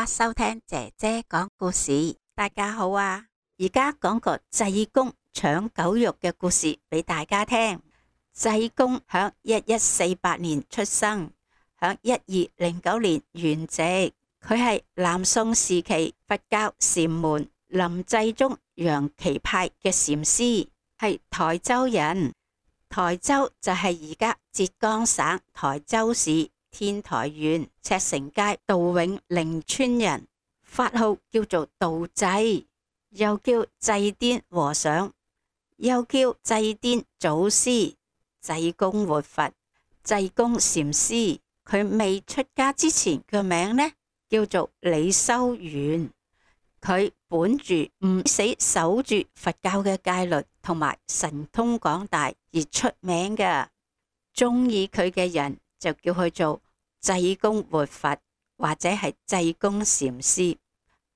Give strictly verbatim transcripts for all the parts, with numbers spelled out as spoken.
家收聽姐姐講故事。大家好啊！而家講個濟公搶狗肉嘅故事俾大家聽。濟公響一一四八年出生，響一二零九年圓寂。佢係南宋時期佛教禪門臨濟宗楊岐派嘅禪師，係台州人。台州就係而家浙江省台州市天台縣赤城街杜永寧村人，法號叫做道濟，又叫濟癲和尚，又叫濟癲祖師、濟公活佛、濟公禪師。佢未出家之前嘅名呢，叫做李修緣。佢本住唔死守住佛教嘅戒律同埋神通廣大而出名嘅，中意佢嘅人就叫佢做濟公活佛或者係濟公禪師，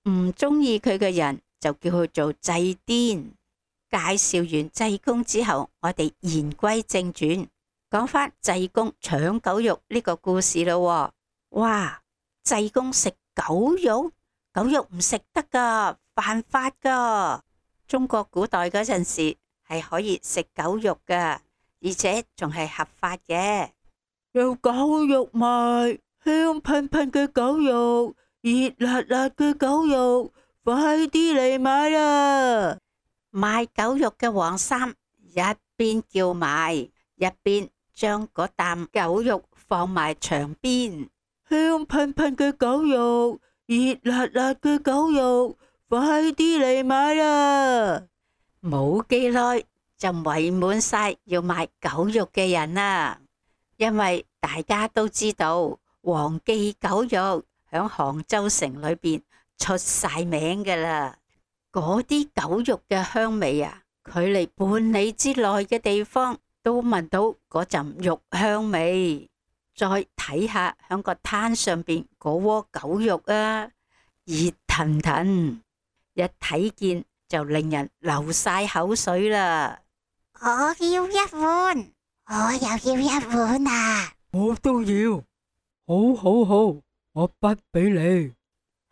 唔中意佢嘅人就叫佢做濟癲。介紹完濟公之後，我哋言歸正傳，講翻濟公搶狗肉呢個故事咯。哇！濟公食狗肉？狗肉唔食得噶，犯法噶。中國古代嗰陣時係可以食狗肉噶，而且仲係合法嘅。有狗肉賣，香噴噴嘅狗肉，熱辣辣嘅狗肉，快啲嚟買啦！賣狗肉嘅黃三一邊叫賣，一邊將嗰啖狗肉放埋牆邊。香噴噴嘅狗肉，熱辣辣嘅狗肉，快啲嚟買啦！冇幾耐就圍滿晒要買狗肉嘅人啦，因為大家都知道黃記狗肉響杭州城裏邊出晒名噶啦。嗰啲狗肉嘅香味啊，距離半里之內嘅地方都聞到嗰陣肉香味。再睇下響個攤上邊嗰鍋狗肉啊，熱騰騰，一睇見就令人流晒口水啦。我要一碗，我又要一碗啊！我都要，好好好，我筆俾你。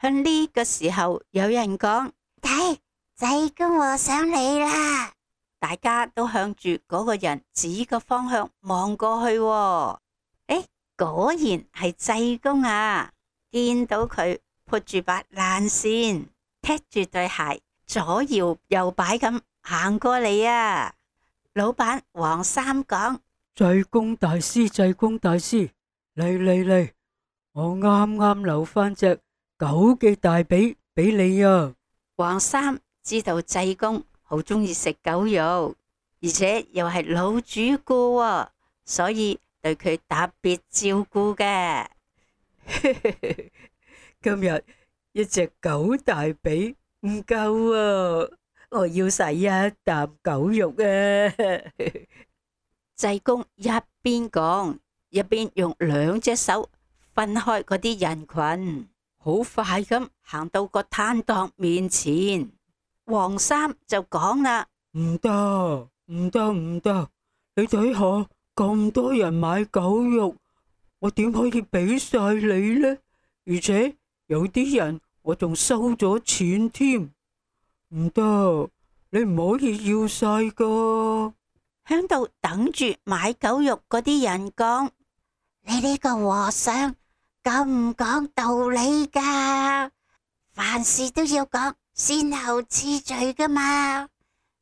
向呢個時候有人講：睇，濟公和尚嚟啦！大家都向住嗰個人指個方向望過去喎。誒，果然係濟公啊！見到佢撥住把爛扇，踢住對鞋，左搖右擺咁行過嚟啊！老闆黃三講：濟公大師，濟公大師，嚟嚟嚟，我啱啱留翻隻狗嘅大髀俾你啊！黃三知道濟公好中意食狗肉，而且又係老主顧喎，所以對佢特別照顧嘅。今日一隻狗大髀唔夠啊，我要洗一啖狗肉啊！濟公一邊講，一邊用兩隻手分開嗰啲人群，好快咁行到個攤檔面前。黃三就講啦：唔得，唔得，唔得！你睇下咁多人買狗肉，我點可以俾晒你呢？而且有啲人我仲收咗錢添，唔得，你唔可以要晒噶。響度等住買狗肉嗰啲人講：你呢個和尚咁唔講道理噶，凡事都要講先後次序噶嘛，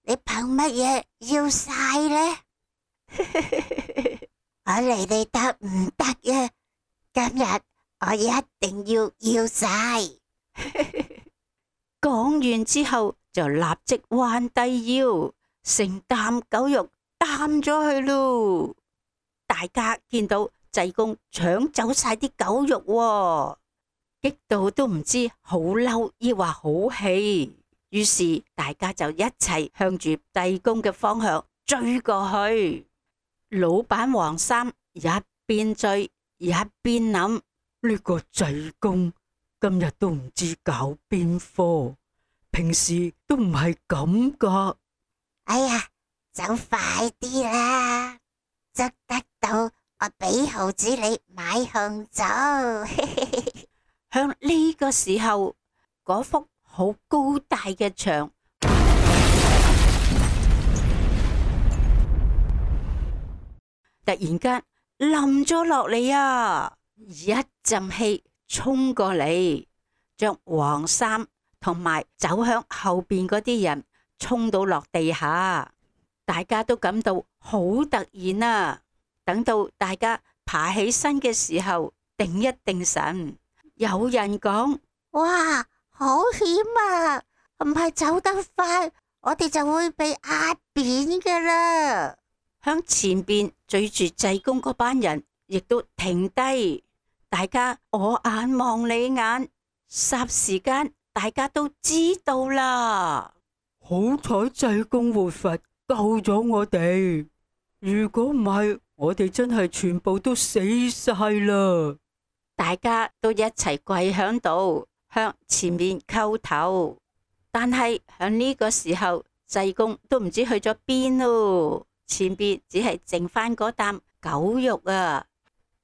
你憑乜嘢要晒呢？我嚟你得唔得呀？今日我一定要要晒。講完之後就立即彎低腰，成擔狗肉擔咗去咯。大家見到濟公搶走晒啲狗肉喎，激到都唔知好嬲抑或好氣，於是大家就一齊向住濟公嘅方向追過去。老闆黃三一邊追一邊諗：呢個濟公今日都唔知搞邊科，平時都唔係咁噶。哎呀，走快啲啦，捉得到我俾毫子你買紅棗。向呢個時候，嗰幅好高大嘅牆突然間冧咗落嚟啊！一陣氣衝過嚟，將黃衫同埋走向後邊嗰啲人衝到落地下，大家都感到好突然啊！等到大家爬起身嘅時候，定一定神。有人講：哇，好險啊！唔係走得快，我哋就會被壓扁噶啦。向前邊追住濟公嗰班人亦都停低，大家我眼望你眼，霎時間大家都知道啦。好彩濟公活佛救咗我哋，如果唔係，我哋真係全部都死晒啦！大家都一齊跪響度，向前面叩頭。但係響呢個時候，濟公都唔知去咗邊咯。前邊只係剩翻嗰啖狗肉啊！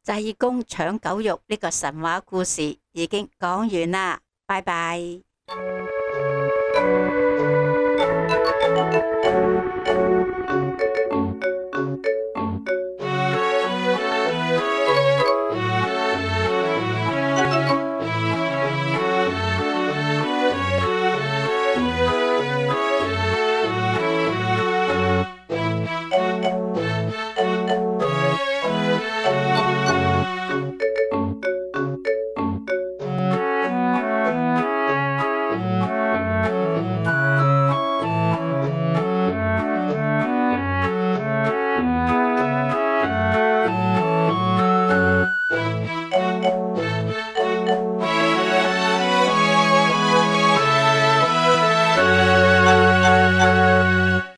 濟公搶狗肉呢個神話故事已經講完啦，拜拜。